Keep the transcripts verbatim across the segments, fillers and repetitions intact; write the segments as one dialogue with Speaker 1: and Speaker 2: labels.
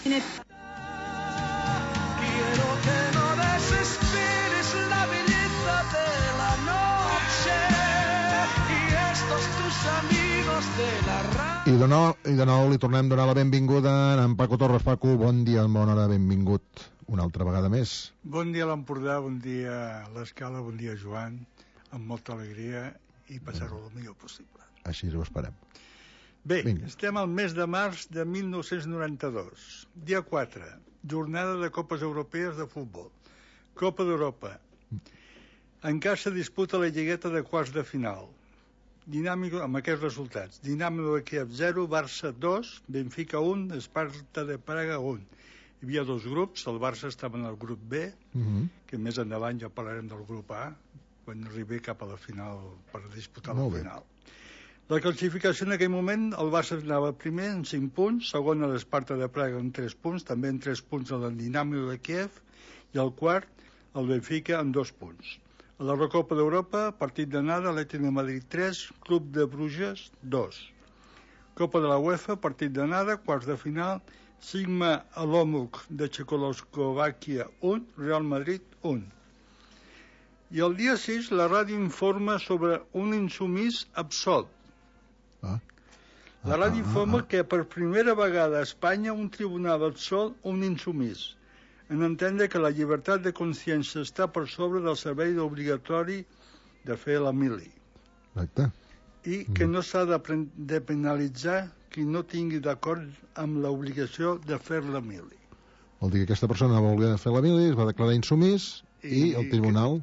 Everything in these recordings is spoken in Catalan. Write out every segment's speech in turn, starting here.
Speaker 1: Quin és...
Speaker 2: Quiero que no desesperes la belleza de la noche y estos tus amigos de la radio.
Speaker 3: I de, nou, I de nou li tornem a donar la benvinguda a en Paco Torres. Paco, bon dia, bona hora, benvingut una altra vegada més.
Speaker 4: Bon dia a l'Empordà, bon dia a l'Escala, bon dia Joan, amb molta alegria i passar-ho el millor possible.
Speaker 3: Així ho esperem.
Speaker 4: Bé,
Speaker 3: Vinga.
Speaker 4: Estem al mes de març de mil nou-cents noranta-dos, dia quatre, jornada de Copes Europees de Futbol, Copa d'Europa. Encara se disputa la lligueta de quarts de final. Dinàmico, amb aquests resultats: Dinamo de Kiev zero, Barça dos, Benfica un, Esparta de Praga un. Hi havia dos grups, el Barça estava en el grup B,
Speaker 3: Uh -huh.
Speaker 4: que més endavant ja parlarem del grup A, quan arribi cap a la final per disputar
Speaker 3: Molt
Speaker 4: la
Speaker 3: bé.
Speaker 4: final. La classificació en aquell moment, el Barça anava primer en cinc punts, segon a l'Esparta de Praga en tres punts, també en tres punts a el Dinamo de Kiev, i el quart, el Benfica, en dos punts. A la Recopa d'Europa, partit d'anada, Atlètic de Madrid tres, Club de Bruges dos. Copa de la UEFA, partit d'anada, quarts de final, Sigma Olomouc de Txecoslovàquia un, Real Madrid un. I el dia sis la ràdio informa sobre un insumís absolt.
Speaker 3: Ah.
Speaker 4: La
Speaker 3: Ah,
Speaker 4: ràdio
Speaker 3: ah,
Speaker 4: informa
Speaker 3: ah.
Speaker 4: que per primera vegada a Espanya un tribunal absolt un insumís, en entendre que la llibertat de consciència està per sobre del servei obligatori de fer la mili,
Speaker 3: Exacte.
Speaker 4: i que no s'ha de, pren- de penalitzar qui no tingui d'acord amb l'obligació de fer la mili.
Speaker 3: Vol dir que aquesta persona va voler fer la mili, es va declarar insumís i,
Speaker 4: I
Speaker 3: el tribunal...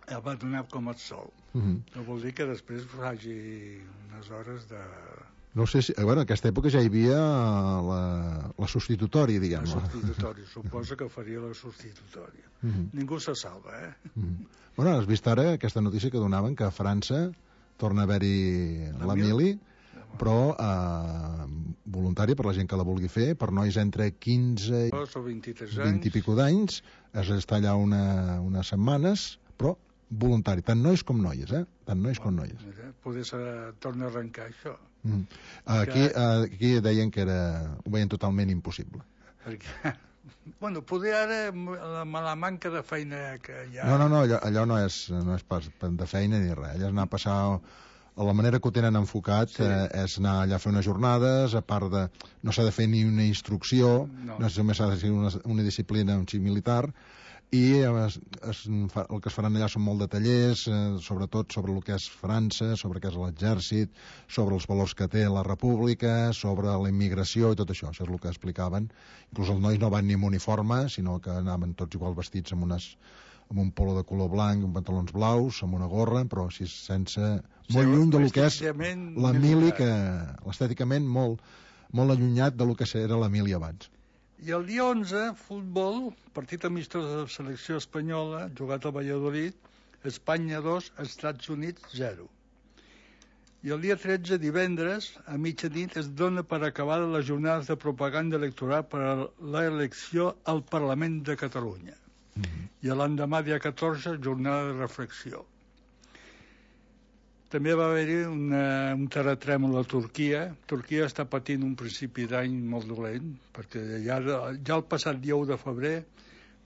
Speaker 4: El va donar com a absolt.
Speaker 3: Uh -huh.
Speaker 4: No vol dir que després faci unes hores de...
Speaker 3: No sé si... Bueno, en aquesta època ja hi havia la, la substitutòria, diguem.
Speaker 4: La substitutòria, suposa que faria la substitutòria.
Speaker 3: Uh -huh.
Speaker 4: Ningú se salva, eh?
Speaker 3: Uh -huh. Bueno, has vist ara aquesta notícia que donaven que a França torna a haver-hi la,
Speaker 4: La
Speaker 3: mili,
Speaker 4: mili?
Speaker 3: però eh, voluntària per la gent que la vulgui fer, per nois entre quinze i
Speaker 4: O vint-i-tres anys.
Speaker 3: vint i pico d'anys, es està allà una, unes setmanes, però voluntari, tant nois com noies, eh? Tant nois com noies.
Speaker 4: Mira, poder ser, torna a arrencar això.
Speaker 3: Mm. Aquí, aquí deien que era, ho veien totalment impossible.
Speaker 4: Perquè, bueno, poder ara, amb la manca de feina que hi ha...
Speaker 3: No, no, no, allò, allò no, és, no és pas de feina ni res. Allò és anar a passar... La manera que ho tenen enfocat sí. eh, és anar allà a fer unes jornades, a part de... No s'ha de fer ni una instrucció,
Speaker 4: no,
Speaker 3: no només s'ha de fer una, una disciplina, un xic militar, i es, es, el que es faran allà són molt de tallers, eh, sobretot sobre el que és França, sobre el que és l'exèrcit, sobre els valors que té la república, sobre la immigració i tot això. Això és el que explicaven. Inclús els nois no van ni amb uniforme, sinó que anaven tots igual vestits amb, unes, amb un polo de color blanc, amb pantalons blaus, amb una gorra, però així sense... molt
Speaker 4: Sí,
Speaker 3: lluny del que és
Speaker 4: estèticament
Speaker 3: la mili,
Speaker 4: militar.
Speaker 3: que l'estèticament molt, molt allunyat del que era la mili abans.
Speaker 4: I el dia onze, futbol, partit amistós de la selecció espanyola, jugat a Valladolid, Espanya dos, Estats Units zero. I el dia tretze, divendres, a mitjanit, es dona per acabada les jornades de propaganda electoral per a l'elecció al Parlament de Catalunya.
Speaker 3: Mm-hmm.
Speaker 4: I l'endemà, dia catorze, jornada de reflexió. També va haver-hi una, un terratrèmol a Turquia. Turquia està patint un principi d'any molt dolent, perquè ja, ja el passat dia u de febrer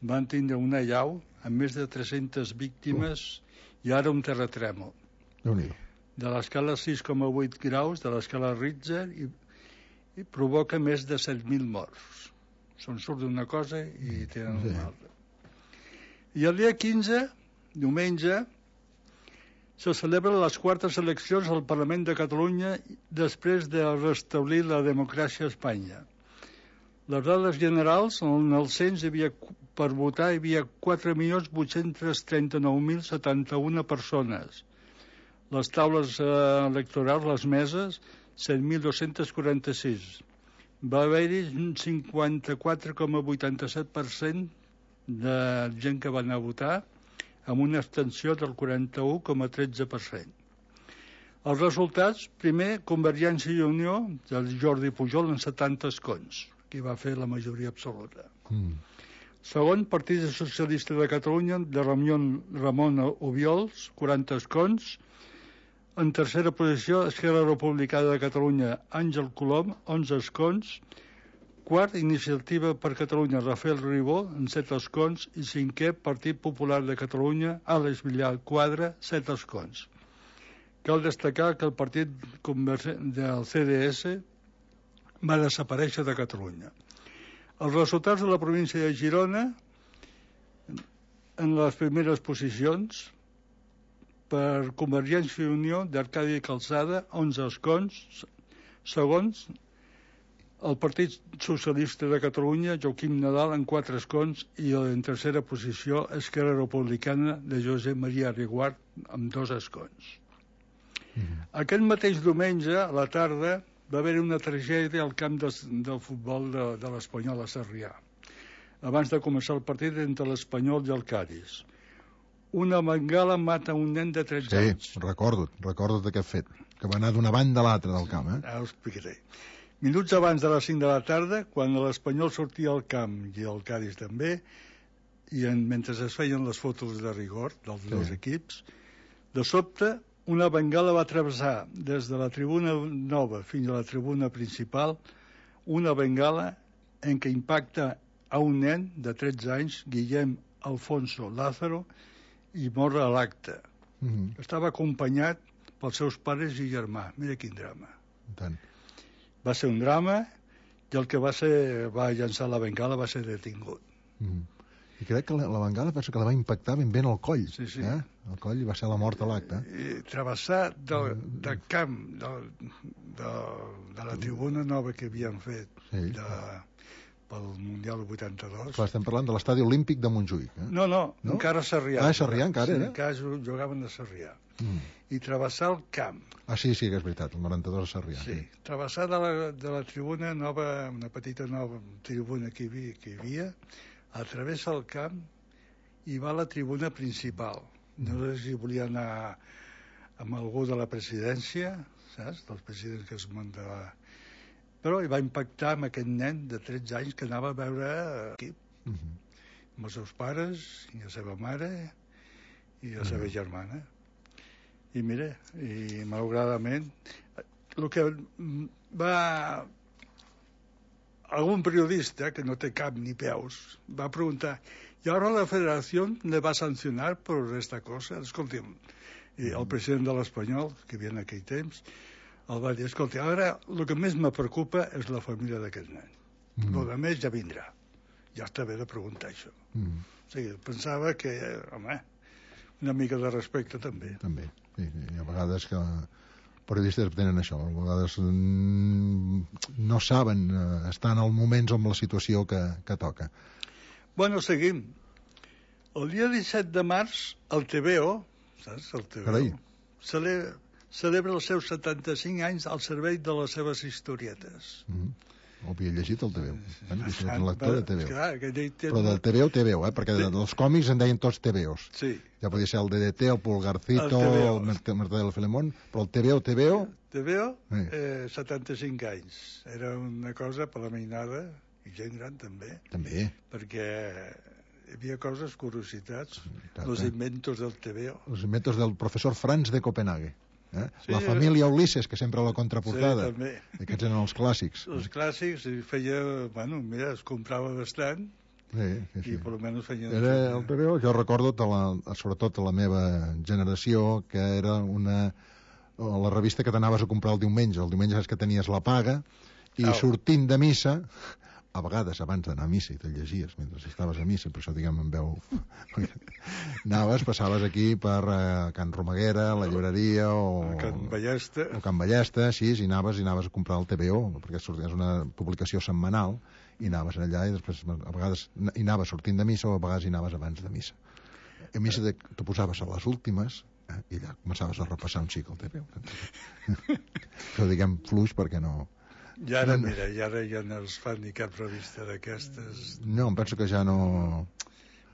Speaker 4: van tindre una allau amb més de tres-centes víctimes uh. i ara un terratrèmol.
Speaker 3: Déu-n'hi-do.
Speaker 4: De l'escala sis coma vuit graus, de l'escala Richter, i, i provoca més de set mil morts. Se'n surt d'una cosa i tenen
Speaker 3: sí.
Speaker 4: una altra. I el dia quinze, diumenge, se celebren les quartes eleccions al Parlament de Catalunya després de restablir la democràcia a Espanya. Les dades generals, en el cens hi havia, per votar hi havia quatre milions vuit-cents trenta-nou mil setanta-una persones. Les taules eh, electorals, les meses, set mil dos-cents quaranta-sis. Va haver-hi un cinquanta-quatre coma vuitanta-set per cent de gent que va anar a votar, amb una abstenció del quaranta-u coma tretze per cent. Els resultats, primer, Convergència i Unió, del Jordi Pujol, en setanta escons, que va fer la majoria absoluta.
Speaker 3: Mm.
Speaker 4: Segon, Partit Socialista de Catalunya, de Ramon, Ramon Obiols, quaranta escons. En tercera posició, Esquerra Republicana de Catalunya, Àngel Colom, onze escons. Quart, Iniciativa per Catalunya, Rafael Ribó, amb set escons. I cinquè, Partit Popular de Catalunya, Àlex Villar Quadra, set escons. Cal destacar que el partit del C D S va desaparèixer de Catalunya. Els resultats de la província de Girona, en les primeres posicions, per Convergència i Unió d'Arcadi Calçada, onze escons. Segons, el Partit Socialista de Catalunya, Joaquim Nadal, amb quatre escons, i en tercera posició, Esquerra Republicana de Josep Maria Riguart, amb dos escons. Mm-hmm. Aquest mateix diumenge, a la tarda, va haver una tragèdia al camp de, del futbol de, de l'Espanyol a Sarrià, abans de començar el partit entre l'Espanyol i el Cádiz. Una bengala mata un nen de tretze
Speaker 3: sí,
Speaker 4: anys.
Speaker 3: Sí, recordo, recordo d'aquest fet, que va anar d'una banda a l'altra del camp. Eh?
Speaker 4: Ara ho explicaré. Minuts abans de les cinc de la tarda, quan l'Espanyol sortia al camp i el Cádiz també, i en, mentre es feien les fotos de rigor dels sí. dos equips, de sobte una bengala va travessar des de la tribuna nova fins a la tribuna principal, una bengala en què impacta a un nen de tretze anys, Guillem Alfonso Lázaro, i mor a l'acte. Mm-hmm. Estava acompanyat pels seus pares i germà. Mira quin drama.
Speaker 3: Tant.
Speaker 4: Va ser un drama i el que va ser va llançar la bengala va ser detingut.
Speaker 3: Mm. I crec que la, la bengala penso que la va impactar ben bé en el coll.
Speaker 4: Sí, sí.
Speaker 3: Eh? El coll va ser la mort a l'acte.
Speaker 4: I travessar del, del camp del, de, de la tribuna nova que havien fet sí. de, pel Mundial vuitanta-dos.
Speaker 3: Clar, estem parlant de l'estadi olímpic de Montjuïc. Eh?
Speaker 4: No, no, no, encara a Sarrià.
Speaker 3: Ah, a Sarrià encara,
Speaker 4: sí,
Speaker 3: era?
Speaker 4: encara jugaven a Sarrià. Mm. I travessar el camp.
Speaker 3: Ah, sí, sí, que és veritat, el noranta-dos a Sarrià.
Speaker 4: Sí, sí. Travessar de la, de la tribuna nova, una petita nova tribuna que hi havia, que hi havia atravessa el camp i va a la tribuna principal. No sé si volia anar amb algú de la presidència, saps? Dels presidents que es mandava. Però hi va impactar amb aquest nen de tretze anys que anava a veure l'equip. Uh -huh. Amb els seus pares, i la seva mare, i la seva uh -huh. germana. I mira, i malauradament, el que va... Algun periodista, que no té cap ni peus, va preguntar, ¿y ahora la federación le va a sancionar por esta cosa? Escolti'm, i el president de l'Espanyol, que havia en aquell temps, el va dir, escolta, ara el que més me preocupa és la família d'aquest nen. Mm. El que més ja vindrà. Ja està bé de preguntar això. Mm. O sigui, pensava que, home, una mica de respecte també.
Speaker 3: També, sí, sí. A vegades que periodistes tenen això, a vegades no saben estar en els moments amb la situació que, que toca.
Speaker 4: Bueno, seguim. El dia disset de març, el T V O, saps, el T V O,
Speaker 3: Carai.
Speaker 4: celebra, celebra els seus setanta-cinc anys al servei de les seves historietes.
Speaker 3: Mm-hmm. Ho havia llegit el T V O. Bueno, és un lector de T V O.
Speaker 4: Clar, té...
Speaker 3: Però del T V O, T V O, eh? Perquè sí. dels còmics en deien tots T V Os.
Speaker 4: Sí.
Speaker 3: Ja podia ser el D D T, el Pulgarcito, el, el Mercè del Filemón, però el T V O, T V O...
Speaker 4: T V O, sí. eh, setanta-cinc anys. Era una cosa per la mainada, i gent gran també.
Speaker 3: També.
Speaker 4: Perquè hi havia coses, curiositats, els inventos del T V O.
Speaker 3: Els inventos del professor Franz de Copenhague. Eh? Sí, la família Ulisses, que sempre a la contraportada.
Speaker 4: Sí, també.
Speaker 3: Aquests eren els clàssics.
Speaker 4: Els clàssics, i feia... Bueno, mira, es comprava bastant.
Speaker 3: Sí, sí, sí.
Speaker 4: I per almenys feien...
Speaker 3: Era el T V O, jo recordo, de la, sobretot a la meva generació, que era una... la revista que t'anaves a comprar el diumenge. El diumenge saps que tenies la paga, i oh. sortint de missa... a vegades abans d'anar a missa i te'l llegies mentre estaves a missa, per això diguem en veu anaves, passaves aquí per uh, Can Romaguera, la llibreria o
Speaker 4: Can Ballesta
Speaker 3: o Can Ballesta, sí, i anaves i anaves a comprar el T V O, perquè és una publicació setmanal, i anaves allà i després a vegades hi anaves sortint de missa o a vegades hi anaves abans de missa. A missa de, t'ho posaves a les últimes eh, i allà començaves a repassar un xic el T V O. Però diguem fluix perquè no...
Speaker 4: I ara, mira, i ara ja no es fan ni cap revista d'aquestes.
Speaker 3: No, em penso que ja no...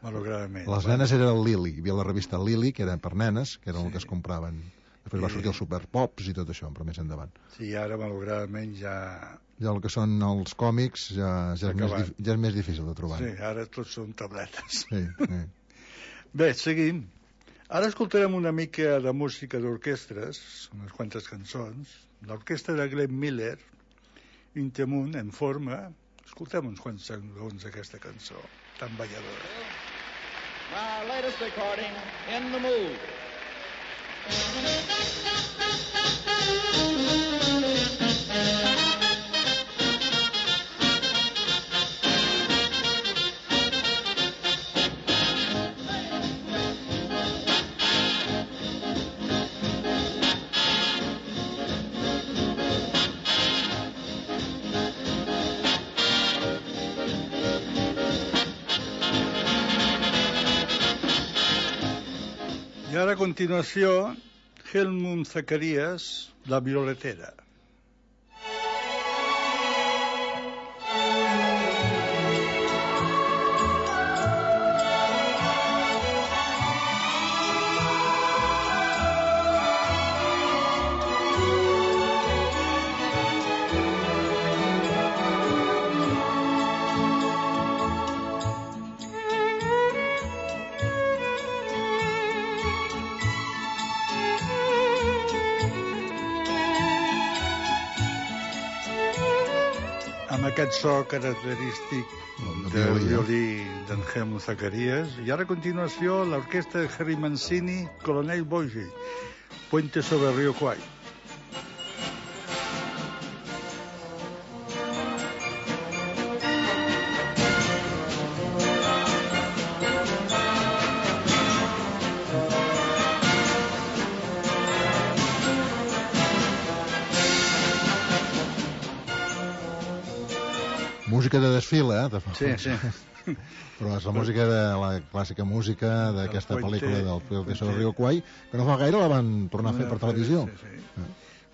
Speaker 4: Malauradament.
Speaker 3: Les nenes era el Lili, hi havia la revista Lili, que era per nenes, que era sí. el que es compraven. Després I... va sortir els Superpops i tot això, però més endavant.
Speaker 4: Sí, ara, malauradament, ja...
Speaker 3: Ja el que són els còmics ja, ja, és, més, ja és més difícil de trobar.
Speaker 4: Sí, ara tots són tabletes.
Speaker 3: Sí, sí.
Speaker 4: Bé, seguim. Ara escoltarem una mica de música d'orquestres, unes quantes cançons. L'orquestra de Glenn Miller, Intimun, en forma, Escoltem uns quants segons d'aquesta cançó tan balladora.
Speaker 1: My latest recording, In the Mood.
Speaker 4: I ara a continuació, Helmut Zacharias, La violetera. Amb aquest so característic del violí d'en Helmut Zacharias. I ara a continuació l'orquestra de Henry Mancini, Colonel Bogie, Puente sobre el Río Kwai.
Speaker 3: Música de desfile, eh? De...
Speaker 4: Sí, sí.
Speaker 3: Però és la música de la clàssica música d'aquesta pel·lícula del Puente sobre el Río Kwai, que no fa gaire la van tornar a fer per televisió.
Speaker 4: Sí, sí. Eh?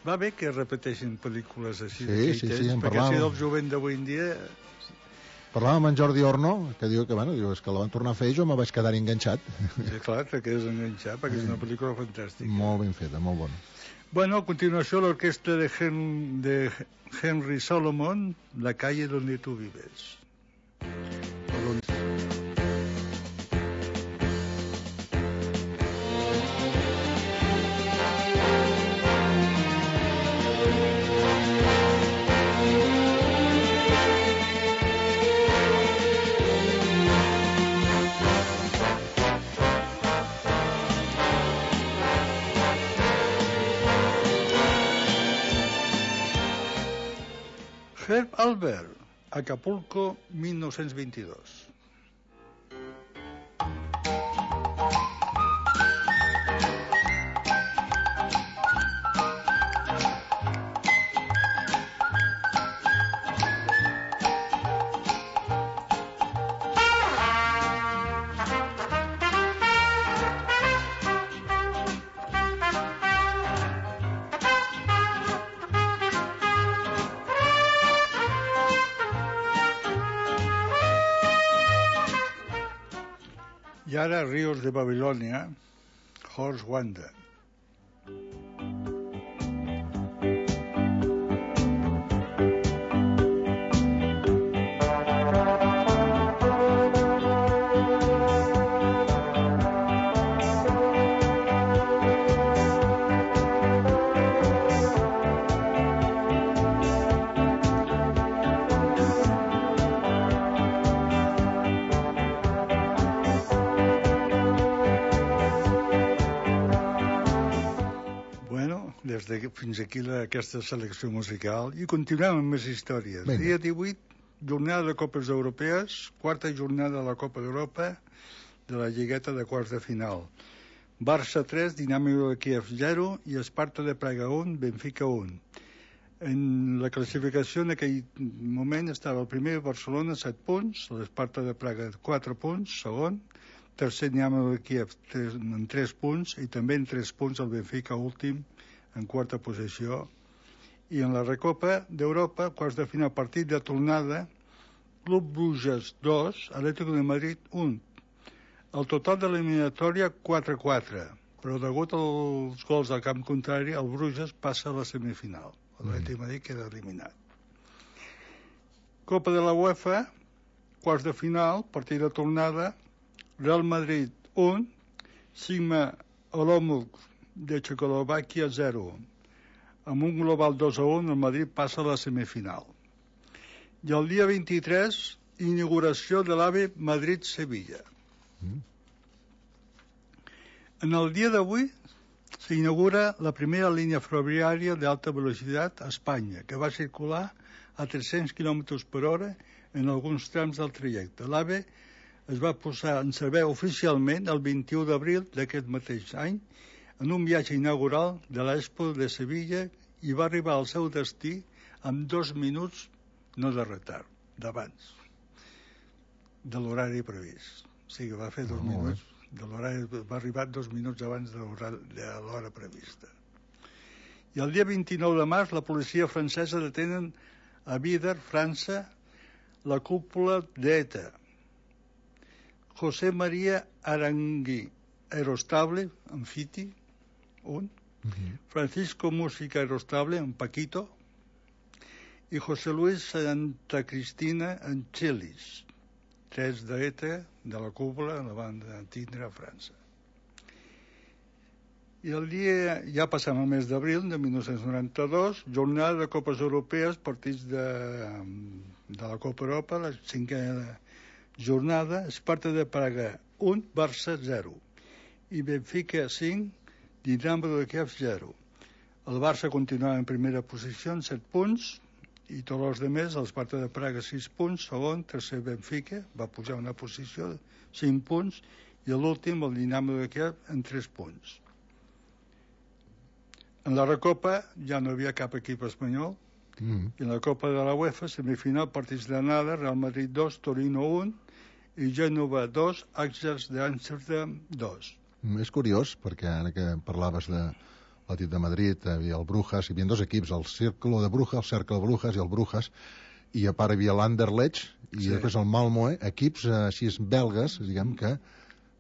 Speaker 4: Va bé que repeteixin pel·lícules així,
Speaker 3: sí, sí, sí, en
Speaker 4: perquè
Speaker 3: parlàvem.
Speaker 4: si del jovent d'avui en dia...
Speaker 3: Parlàvem amb en Jordi Orno, que diu que, bueno, diu, és que la van tornar a fer i jo me vaig quedar enganxat.
Speaker 4: Sí, clar, te quedes enganxat, perquè és una pel·lícula fantàstica.
Speaker 3: Molt ben feta, molt bona.
Speaker 4: Bueno, a continuació l'orquestra de, Hen de Henry Solomon, La calle donde tú vives. Herb Alpert, Acapulco, mil nou-cents vint-i-dos. I ara Ríos de Babilònia, Horst Wanda. Des de fins aquí la, aquesta selecció musical i continuem amb més històries.
Speaker 3: Vinga.
Speaker 4: Dia divuit, jornada de Copes Europees, quarta jornada de la Copa d'Europa de la lligueta de quarts de final. Barça tres, Dinamo de Kiev zero i Esparta de Praga un, Benfica un. En la classificació en aquell moment estava el primer Barcelona set punts, l'Esparta de Praga quatre punts, segon, tercer Dinamo de Kiev en tres punts i també en tres punts el Benfica últim en quarta posició. I en la Recopa d'Europa, quarts de final, partit de tornada, Club Bruges dos, Atlético de Madrid un. El total de l'eliminatòria quatre a quatre, però degut als gols del camp contrari, el Bruges passa a la semifinal. L'Atlético de Madrid queda eliminat. Copa de la UEFA, quarts de final, partit de tornada, Real Madrid un, Sigma Olomouc de Txecoslovàquia zero. Amb un global dos a un, el Madrid passa a la semifinal. I el dia vint-i-tres, inauguració de l'AVE Madrid-Sevilla.
Speaker 3: Mm.
Speaker 4: En el dia d'avui s'inaugura la primera línia ferroviària d'alta velocitat a Espanya, que va circular a tres-cents quilòmetres per hora en alguns trams del trajecte. L'AVE es va posar en servei oficialment el vint-i-u d'abril d'aquest mateix any en un viatge inaugural de l'Expo de Sevilla i va arribar al seu destí amb dos minuts, no de retard, d'abans de l'horari previst. O sigui, va fer dos
Speaker 3: Oh,
Speaker 4: minuts de l'horari, va arribar dos minuts abans de l'hora prevista. I el dia vint-i-nou de març la policia francesa detenen a Vider, França, la cúpula d'ETA. José María Arangui Aerostable, en Fiti, un.
Speaker 3: Mm-hmm.
Speaker 4: Francisco Música Aerostable, en Paquito. I José Luis Santa Cristina, en Chelis. Tres d'ETA, de la cúpula, la van tindre a França. I el dia, ja passem al mes d'abril de mil nou-cents noranta-dos, jornada de Copes Europees, partits de, de la Copa Europa, la cinquena jornada, Esparta de Praga un, Barça zero, i Benfica cinc, Dinamo de Kiev zero. El Barça continuava en primera posició amb set punts, i tots els demés, l'Esparta de Praga sis punts, segon, tercer Benfica, va pujar una posició de cinc punts, i l'últim, el Dinamo de Kiev, en tres punts. En la Recopa ja no hi havia cap equip espanyol,
Speaker 3: Mm.
Speaker 4: i en la Copa de la UEFA, semifinal, partits d'anada, Real Madrid dos, Torino un, i Gènova dos, Ajax d'Amsterdam dos.
Speaker 3: És curiós, perquè ara que parlaves de l'Atlètic de Madrid, hi havia el Brujas, hi havia dos equips, el Círculo de Brujas, el Cercle Brujas i el Brujas, i a part hi havia l'Anderlecht i
Speaker 4: Sí.
Speaker 3: després el Malmö, equips eh, així belgues, diguem, que,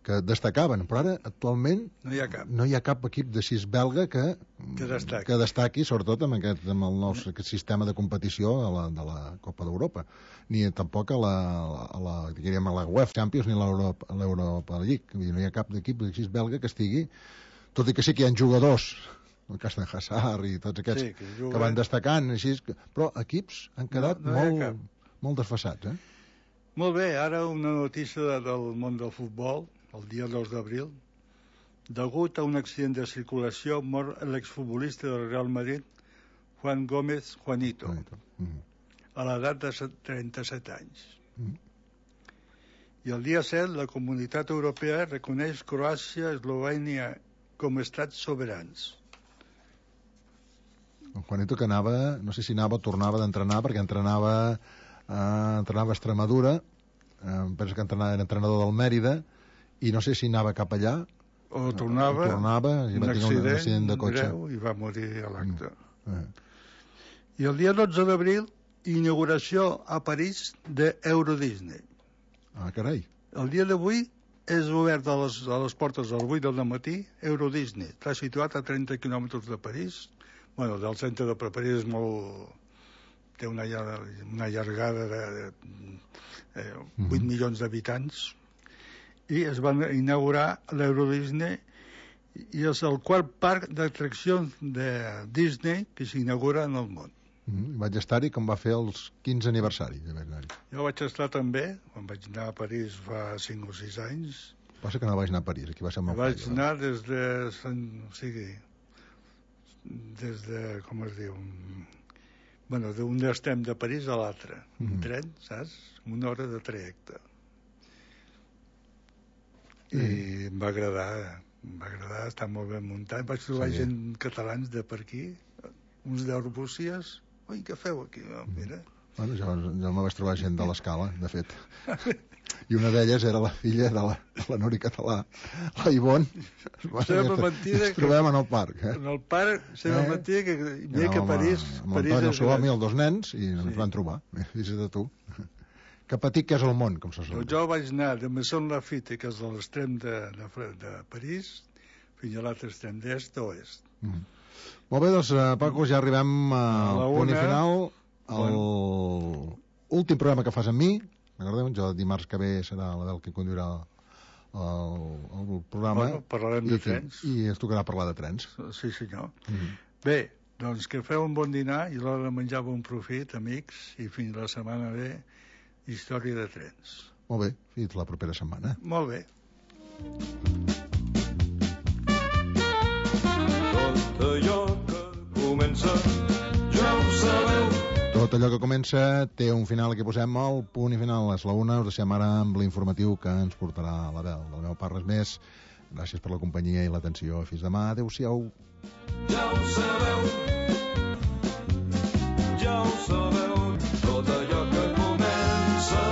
Speaker 3: que destacaven, però ara actualment
Speaker 4: No hi ha cap.
Speaker 3: no hi ha cap equip de sis belga que,
Speaker 4: Que destaqui.
Speaker 3: que destaqui, sobretot amb aquest, amb el nou aquest sistema de competició a la, de la Copa d'Europa, ni tampoc a la, a la, diríem, a la UEFA Champions ni a l'Europa a l'Europa League. Vull dir, no hi ha cap equip de sis belga que estigui, tot i que sí que hi ha jugadors, el cas de Hazard i tots aquests,
Speaker 4: Sí, que
Speaker 3: que,
Speaker 4: juguen.
Speaker 3: van destacant, així, que- però equips han quedat
Speaker 4: No, no hi ha
Speaker 3: molt,
Speaker 4: cap.
Speaker 3: molt desfassats, eh?
Speaker 4: Molt bé, ara una notícia de, del món del futbol, el dia dos d'abril. Degut a un accident de circulació, mor l'exfutbolista del Real Madrid, Juan Gómez Juanito,
Speaker 3: Mm.
Speaker 4: a l'edat de set- trenta-set anys.
Speaker 3: Mm.
Speaker 4: I el dia set, la Comunitat Europea reconeix Croàcia i Eslovènia com a estats soberans.
Speaker 3: El Juanito que anava, no sé si anava o tornava d'entrenar, perquè entrenava, eh, entrenava a Extremadura, eh, penso que entrenava, era entrenador del Mèrida, i no sé si anava cap allà,
Speaker 4: O tornava,
Speaker 3: tornava i
Speaker 4: un
Speaker 3: va tenir un
Speaker 4: accident,
Speaker 3: accident de cotxe.
Speaker 4: greu i va morir a l'acte.
Speaker 3: Eh.
Speaker 4: I el dia dotze d'abril, inauguració a París d'Euro Disney.
Speaker 3: Ah, carai.
Speaker 4: El dia d'avui és obert a les, a les portes a les vuit del matí, Euro Disney. Està situat a trenta quilòmetres de París. Bueno, del centre de París és molt... té una, llar- una llargada de, de eh, vuit
Speaker 3: Mhm.
Speaker 4: milions d'habitants, i es va inaugurar l'Euro Disney, i és el quart parc d'atraccions de Disney que s'inaugura en el món.
Speaker 3: Mm, vaig estar-hi com va fer els quinze aniversari de vaig anar-hi.
Speaker 4: Jo vaig estar també, quan vaig anar a París fa cinc o sis anys.
Speaker 3: Passa que no vaig anar a París, aquí va ser el meu
Speaker 4: Vaig
Speaker 3: paio.
Speaker 4: anar des de... Sant- O sigui, des de... com es diu? Bueno, d'un estem de París a l'altre. Un
Speaker 3: Mhm.
Speaker 4: tren, saps? Una hora de trajecte. I em va agradar, em va agradar, està molt ben muntat. Vaig trobar
Speaker 3: Sí.
Speaker 4: gent catalans de per aquí, uns d'Arbúcies. Ui, què feu aquí? Oh, mira.
Speaker 3: Bueno, jo, jo me vaig trobar gent de l'escala, de fet. I una d'elles era la filla de la, de la Nori Català, la Ivonne.
Speaker 4: Sembla mentida
Speaker 3: Ens
Speaker 4: que-
Speaker 3: trobem en el parc, eh?
Speaker 4: En el parc, sembla
Speaker 3: Eh?
Speaker 4: mentida que, mira que
Speaker 3: Amb-
Speaker 4: París...
Speaker 3: Amb
Speaker 4: París
Speaker 3: l'Antoni, el
Speaker 4: és
Speaker 3: seu home i
Speaker 4: gran.
Speaker 3: els dos nens, i ens
Speaker 4: Sí.
Speaker 3: van trobar. Fixa't de tu. Que petit que és el món, com se sol
Speaker 4: Doncs
Speaker 3: dir.
Speaker 4: jo vaig anar de Maison Lafitte, que és a l'extrem de, de, Fre- de París, fins a l'altre extrem, d'est a oest.
Speaker 3: Mhm. Molt bé, doncs, eh, Paco, ja arribem
Speaker 4: A
Speaker 3: al
Speaker 4: la
Speaker 3: punt i
Speaker 4: una.
Speaker 3: final. El últim programa que fas amb mi, recordeu, jo dimarts que ve serà la Bel que conduirà el, el programa.
Speaker 4: Bueno, parlarem de
Speaker 3: i,
Speaker 4: trens.
Speaker 3: I ens tocarà parlar de trens.
Speaker 4: Sí, senyor.
Speaker 3: Mhm.
Speaker 4: Bé, Doncs que feu un bon dinar i a l'hora de menjar bon profit, amics, i fins la setmana ve, història de trens.
Speaker 3: Molt bé, fins la propera setmana.
Speaker 4: Molt bé.
Speaker 2: Tot allò que comença, ja ho sabeu.
Speaker 3: Tot allò que comença té un final, aquí posem el punt i final. És la una, us deixem ara amb l'informatiu que ens portarà l'Abel. De la meva part res més. Gràcies per la companyia i l'atenció. Fins demà. Adéu-siau.
Speaker 2: Ja ho sabeu. Ja ho sabeu.